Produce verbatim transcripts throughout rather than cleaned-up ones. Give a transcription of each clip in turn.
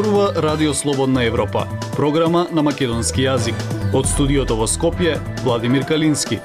Зборува Радио Слободна Европа, програма на македонски јазик. Од студиото во Скопје, Владимир Калински.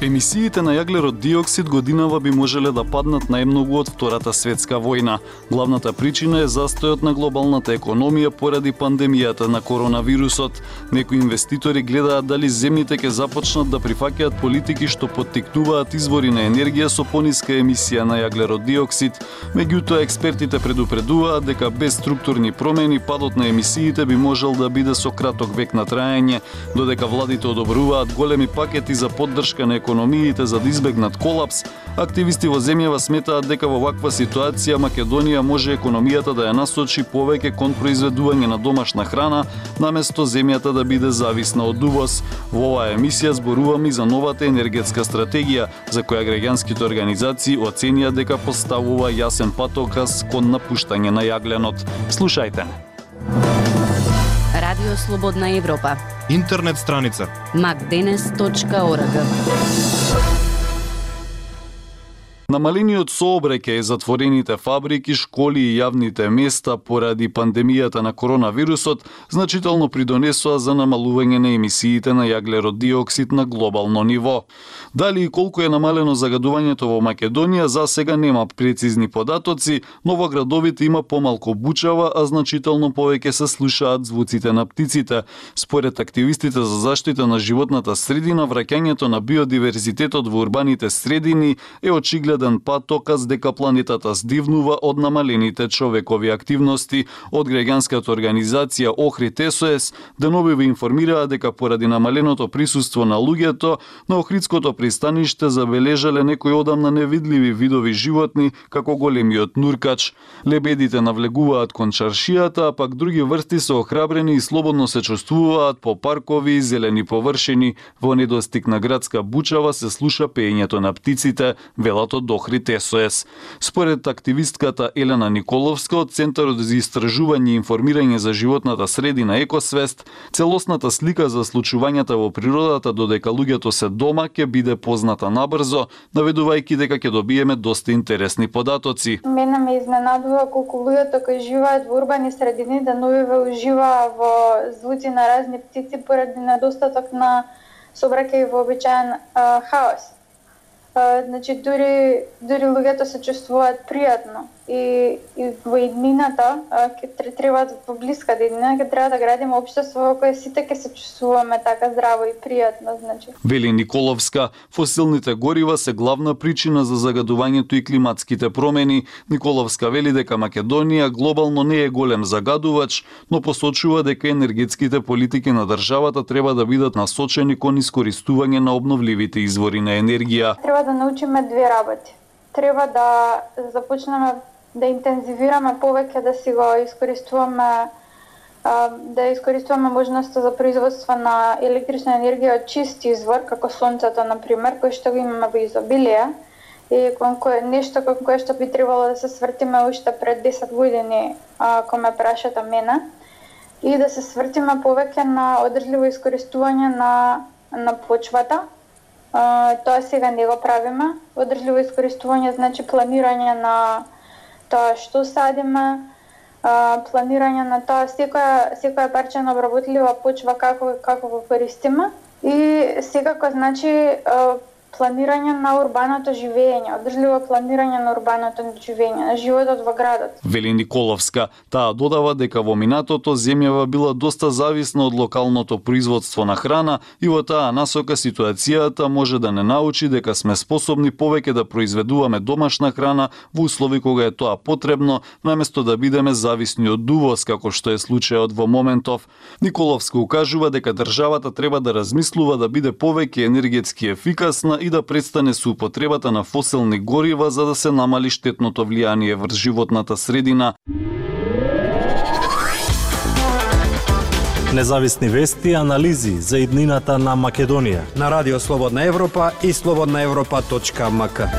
Емисиите на јаглерод диоксид годинава би можеле да паднат најмногу од Втората светска војна. Главната причина е застојот на глобалната економија поради пандемијата на коронавирусот. Некои инвеститори гледаат дали земјите ќе започнат да прифаќаат политики што поттикнуваат извори на енергија со пониска емисија на јаглерод диоксид. Меѓутоа, експертите предупредуваат дека без структурни промени падот на емисиите би можел да биде со краток век на траење, додека владите одобруваат големи пакети за поддршка на економиите за да избегнат колапс. Активисти во земјава сметаат дека во ваква ситуација Македонија може економијата да ја насочи повеќе кон произведување на домашна храна, наместо земјата да биде зависна од увоз. Во оваа емисија зборуваме и за новата енергетска стратегија, за која граѓанските организации оценија дека поставува јасен патоказ кон напуштање на јагленот. Слушајте. Радио Слободна Европа. Интернет страница макденес точка орг. Намалениот сообраќај, затворените фабрики, школи и јавните места поради пандемијата на коронавирусот значително придонесоа за намалување на емисиите на јаглерод диоксид на глобално ниво. Дали и колку е намалено загадувањето во Македонија, за сега нема прецизни податоци, но во градовите има помалку бучава, а значително повеќе се слушаат звуците на птиците. Според активистите за заштита на животната средина, враќањето на биодиверзитетот во урбаните средини е очигледен патоказ дека планетата здивнува од намалените човекови активности. Од граѓанската организација Охрид С О С деновиве информираа дека поради намаленото присуство на луѓето на Охридското пристаниште забележале некои одамна невидливи видови животни, како големиот нуркач. Лебедите навлегуваат кон чаршијата, а пак други врсти се охрабрени и слободно се чувствуваат по паркови и зелени површини. Во недостиг на градска бучава се слуша пеењето на птиците, велат од Охрид С О С. Според активистката Елена Николовска од Центарот за истражување и информирање за животната средина Екосвест, целосната слика за случувањата во природата додека луѓето се дома ќе биде позната набрзо, наведувајќи дека ќе добиеме доста интересни податоци. Мене ме изненадува колку луѓето кои живеат во урбани средини деновиве уживаа во звуци на разни птици поради недостаток на сообраќај во обичаен а, хаос. Uh, значи, дури, дури луѓето се чувствуваат пријатно и, и во иднината, ќе треба во блиска иднина, ќе треба да градиме општество во кое сите ќе се чувствуваме така здраво и пријатно, значи. Вели Николовска, фосилните горива се главна причина за загадувањето и климатските промени. Николовска вели дека Македонија глобално не е голем загадувач, но посочува дека енергетските политики на државата треба да бидат насочени кон искористување на обновливите извори на енергија. Треба да научиме две работи. Треба да започнеме да интензивираме повеќе, да си го искористуваме, да искористуваме можноста за производство на електрична енергија од чист извор, како сонцето, например, кој што го имаме во изобилие, и кон кое нешто кон кое што би требало да се свртиме уште пред десет години, кога ме прашате мене, и да се свртиме повеќе на одржливо искористување на, на почвата. Uh, тоа сега не го правиме. Одржливо искористување значи планирање на тоа што садиме, uh, планирање на тоа секоја секоја парче на обработлива почва како како го користиме и секако значи uh, планирање на урбаното живење, одржливо планирање на урбаното живење, на животот во градот. Вели Николовска, таа додава дека во минатото земјава била доста зависна од локалното производство на храна и во таа насока ситуацијата може да не научи дека сме способни повеќе да произведуваме домашна храна во услови кога е тоа потребно, наместо да бидеме зависни од увоз, како што е случајот во моментов. Николовска укажува дека државата треба да размислува да биде повеќе енергетски ефикасна и да престане со употребата на фосилни горива за да се намали штетното влијание врз животната средина. Независни вести и анализи за иднината на Македонија на Радио Слободна Европа и слободна европа точка м к.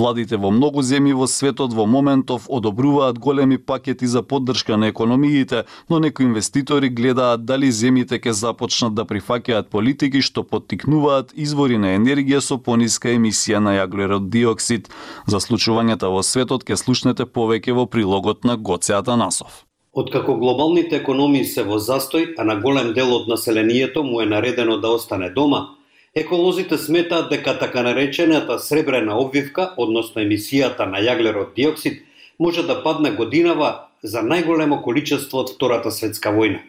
Владите во многу земји во светот во моментов одобруваат големи пакети за поддршка на економиите, но некои инвеститори гледаат дали земјите ќе започнат да прифаќаат политики што поттикнуваат извори на енергија со пониска емисија на јаглерод диоксид. За случувањата во светот ќе слушнете повеќе во прилогот на Гоце Атанасов. Откако глобалните економии се во застој, а на голем дел од населението му е наредено да остане дома, еколозите сметаат дека така наречената сребрена обвивка, односно емисијата на јаглерод диоксид, може да падне годинава за најголемо количество од Втората светска војна.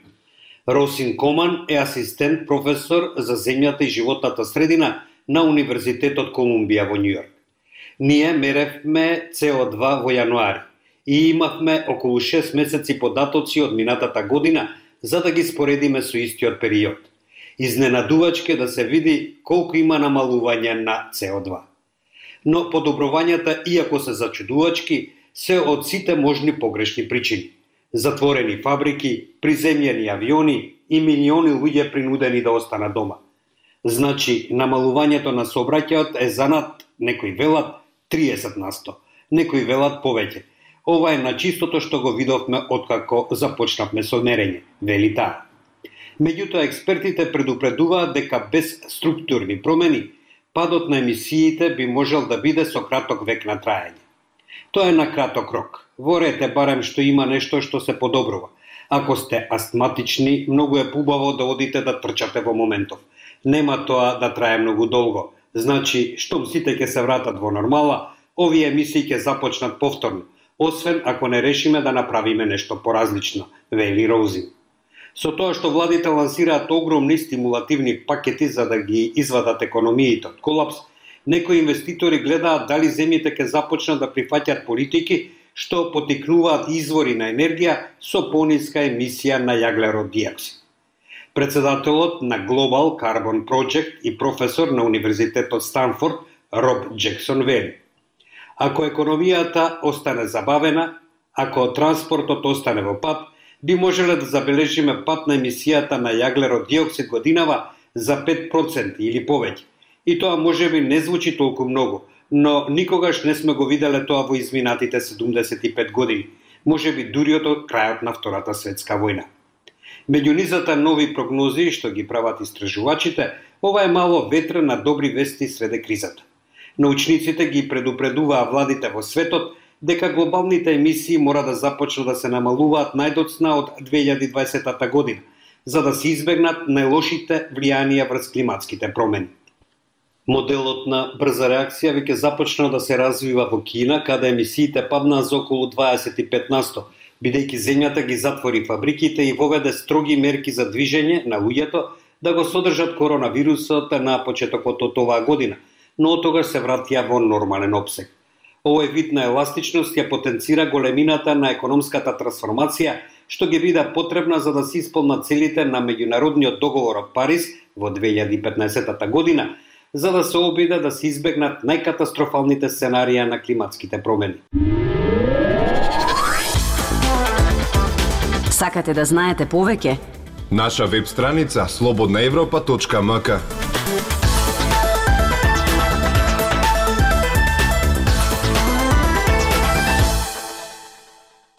Росин Коман е асистент професор за земјата и животната средина на Универзитетот Колумбија во Њујорк. Ние меревме С О два во јануари и имавме околу шест месеци податоци од минатата година за да ги споредиме со истиот период. Изненадувачки да се види колку има намалување на С О два. Но подобрувањата, иако се зачудувачки, се од сите можни погрешни причини. Затворени фабрики, приземјени авиони и милиони луѓе принудени да останат дома. Значи, намалувањето на сообраќајот е занад, некои велат, триесет на сто, некои велат повеќе. Ова е на чистото што го видовме откако започнавме со мерење, вели таа. Меѓутоа, експертите предупредуваат дека без структурни промени, падот на емисиите би можел да биде со краток век на траење. Тоа е на краток рок. Ворете барем што има нешто што се подобрува. Ако сте астматични, многу е побаво да одите да трчате во моментов. Нема тоа да трае многу долго. Значи, штом сите ќе се вратат во нормала, овие емисии ќе започнат повторно, освен ако не решиме да направиме нешто поразлично, вели Роузин. Со тоа што владите лансираат огромни стимулативни пакети за да ги извадат економиите од колапс, некои инвеститори гледаат дали земјите ќе започнат да прифаќаат политики што потикнуваат извори на енергија со пониска емисија на јаглерод диоксид. Председателот на Global Carbon Project и професор на Универзитетот Станфорд Роб Джексон вели: ако економијата остане забавена, ако транспортот остане во пат, би можеле да забележиме пат на емисијата на јаглерод диоксид годинава за пет проценти или повеќе. И тоа можеби не звучи толку многу, но никогаш не сме го виделе тоа во изминатите седумдесет и пет години, можеби дури од крајот на Втората светска војна. Меѓу низата нови прогнози што ги прават истражувачите, ова е мало ветра на добри вести среде кризата. Научниците ги предупредуваа владите во светот дека глобалните емисии мора да започнат да се намалуваат најдоцна од две илјади и дваесета година, за да се избегнат најлошите влијанија врз климатските промени. Моделот на брза реакција веќе започна да се развива во Кина, каде емисиите паднаа за околу дваесет и пет на сто, бидејќи земјата ги затвори фабриките и воведе строги мерки за движење на луѓето да го содржат коронавирусот на почетокот од оваа година, но од тогаш се вратија во нормален опсег. Овој вид на еластичност ја потенцира големината на економската трансформација, што ги биде потребна за да се исполнат целите на меѓународниот договор од Париз во две илјади и петнаесета година, за да се обиде да се избегнат најкатастрофалните сценарија на климатските промени. Сакате да знаете повеќе? Наша веб страница слободна европа точка ем ка.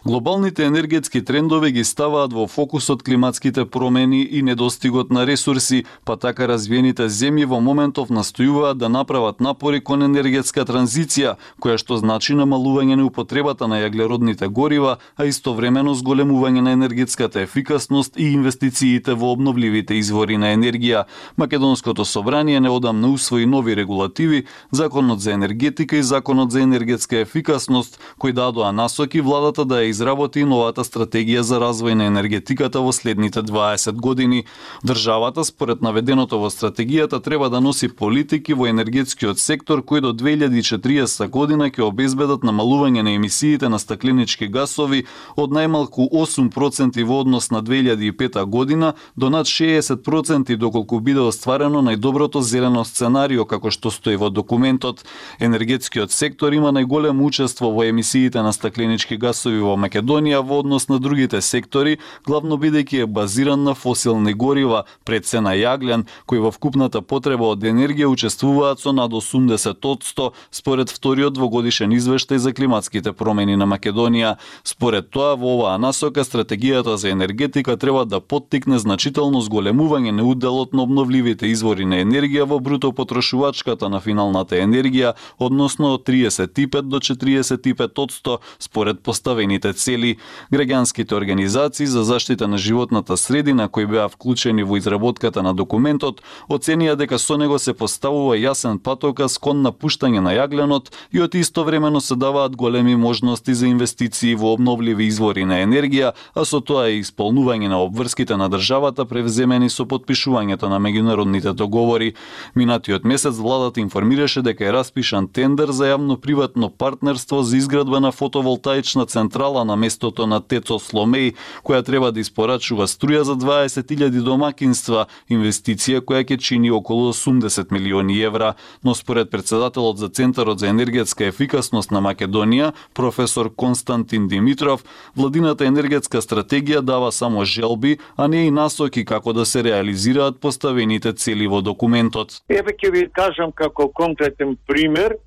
Глобалните енергетски трендови ги ставаат во фокусот климатските промени и недостигот на ресурси, па така развиените земји во моментов настојуваат да направат напори кон енергетска транзиција, која што значи намалување на употребата на јаглеродните горива, а истовремено зголемување на енергетската ефикасност и инвестициите во обновливите извори на енергија. Македонското собрание неодамна усвои нови регулативи, Законот за енергетика и Законот за енергетска ефикасност, кои дадоа насоки владата да ја изработи новата стратегија за развој на енергетиката во следните дваесет години. Државата, според наведеното во стратегијата, треба да носи политики во енергетскиот сектор кои до две илјади и четириесета година ќе обезбедат намалување на емисиите на стакленички гасови од најмалку осум проценти во однос на две илјади и пета година до над шеесет проценти доколку биде остварено најдоброто зелено сценарио како што стои во документот. Енергетскиот сектор има најголемо учество во емисиите на стакленички гасови во Македонија во однос на другите сектори, главно бидејќи е базиран на фосилни горива, пред се на јаглен, кои во вкупната потреба од енергија учествуваат со над осумдесет одсто според вториот двогодишен извештај за климатските промени на Македонија. Според тоа, во оваа насока стратегијата за енергетика треба да поттикне значително зголемување на уделот на обновливите извори на енергија во бруто потрошувачката на финалната енергија, односно од триесет и пет до четириесет и пет одсто според поставените цели. Граѓанските организации за заштита на животната средина кои беа вклучени во изработката на документот оценија дека со него се поставува јасен патоказ кон напуштање на јагленот и од истовремено се даваат големи можности за инвестиции во обновливи извори на енергија, а со тоа и исполнување на обврските на државата превземени со потпишувањето на меѓународните договори. Минатиот месец владата информираше дека е распишан тендер за јавно-приватно партнерство за изградба на фотоволтаична централа на местото на ТЕЦ-о Сломеј, која треба да испорачува струја за дваесет илјади домакинства, инвестиција која ќе чини околу осумдесет милиони евра, но според председателот за Центарот за енергетска ефикасност на Македонија, професор Константин Димитров, владината енергетска стратегија дава само желби, а не и насоки како да се реализираат поставените цели во документот. Еве ќе ви кажам како конкретен пример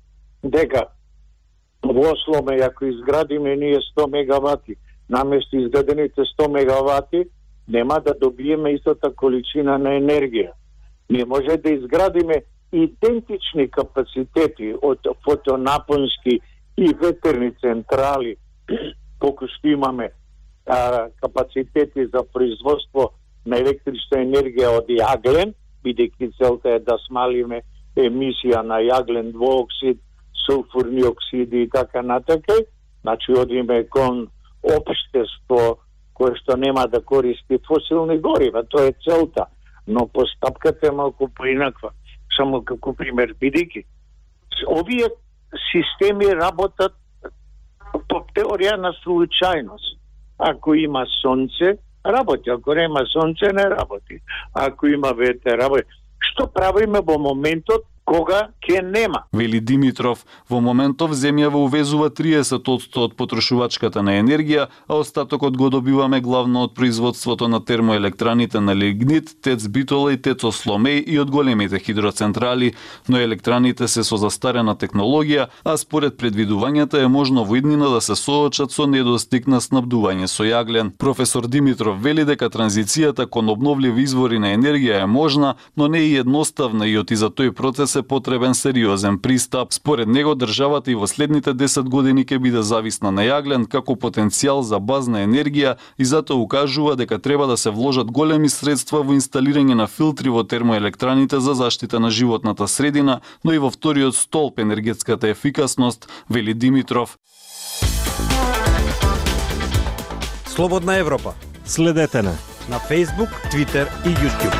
дека во Сломеј ако изградиме ние сто мегавати, наместо изградените сто мегавати, нема да добиеме истата количина на енергија. Ние може да изградиме идентични капацитети од фотонапонски и ветерни централи, колку што имаме а, капацитети за производство на електрична енергија од јаглен, бидејќи целта е да смалиме емисија на јаглен двуоксид, сулфурни оксиди и така натака, значи одиме кон општество кое што нема да користи фосилни горива, тоа е целта, но постапката е малку поинаква. Само како пример, бидејќи овие системи работат по теорија на случајност. Ако има сонце, работи, ако нема сонце, не работи. Ако има ветер, работи. Што правиме во моментот кога ќе нема? Вели Димитров, во моментов земјава увезува триесет одсто од потрошувачката на енергија, а остатокот го добиваме главно од производството на термоелектраните на лигнит, ТЕЦ Битола и ТЕЦ-о Сломеј и од големите хидроцентрали, но електраните се со застарена технологија, а според предвидувањата е можно во иднина да се соочат со недостиг на снабдување со јаглен. Професор Димитров вели дека транзицијата кон обновливи извори на енергија е можна, но не и едноставна и оти за тој процес е потребен сериозен пристап. Според него државата и во следните десет години ќе биде зависна на јаглен како потенцијал за базна енергија и затоа укажува дека треба да се вложат големи средства во инсталирање на филтри во термоелектраните за заштита на животната средина, но и во вториот столб енергетската ефикасност, вели Димитров. Слободна Европа. Следете на на Facebook, Twitter и YouTube.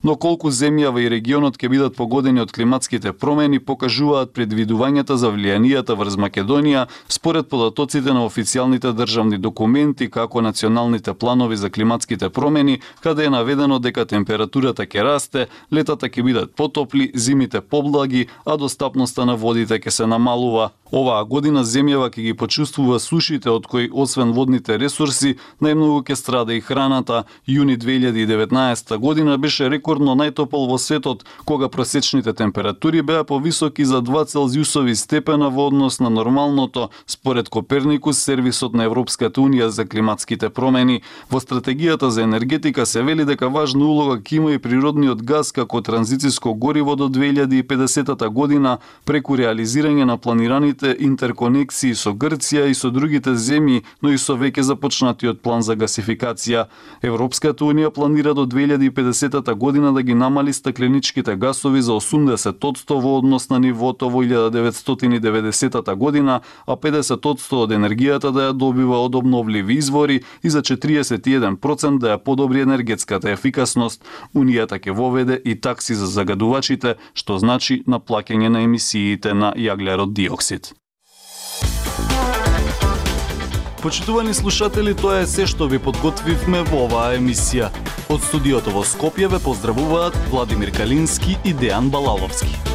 Но колку земјава и регионот ќе бидат погодени од климатските промени покажуваат предвидувањата за влијанијата врз Македонија според податоците на официјалните државни документи како националните планови за климатските промени, каде е наведено дека температурата ќе расте, летата ќе бидат потопли, зимите поблаги, а достапноста на водите ќе се намалува. Оваа година земјава ќе ги почувствува сушите од кои освен водните ресурси, најмногу ќе страда и храната. Јуни две илјади и деветнаесетта година беше рекордно најтопол во светот, кога просечните температури беа повисоки за два целзиусови степена во однос на нормалното, според Коперникус, сервисот на Европската унија за климатските промени. Во стратегијата за енергетика се вели дека важна улога ќе има и природниот газ како транзициско гориво до две илјади и педесетата година преку реализирање на планираните интерконексии со Грција и со другите земји, но и со веќе започнатиот план за гасификација. Европската унија планира до две илјади и педесетата година да ги намали стакленичките гасови за осумдесет одсто во однос на нивото во илјада деветстотини и деветдесетата година, а педесет одсто од енергијата да ја добива од обновливи извори и за четириесет и еден проценти да ја подобри енергетската ефикасност. Унијата ќе воведе и такси за загадувачите, што значи наплаќање на емисиите на јаглерод диоксид. Почитувани слушатели, тоа е се што ви подготвивме во оваа емисија. Од студиото во Скопје ве поздравуваат Владимир Калински и Дејан Балаловски.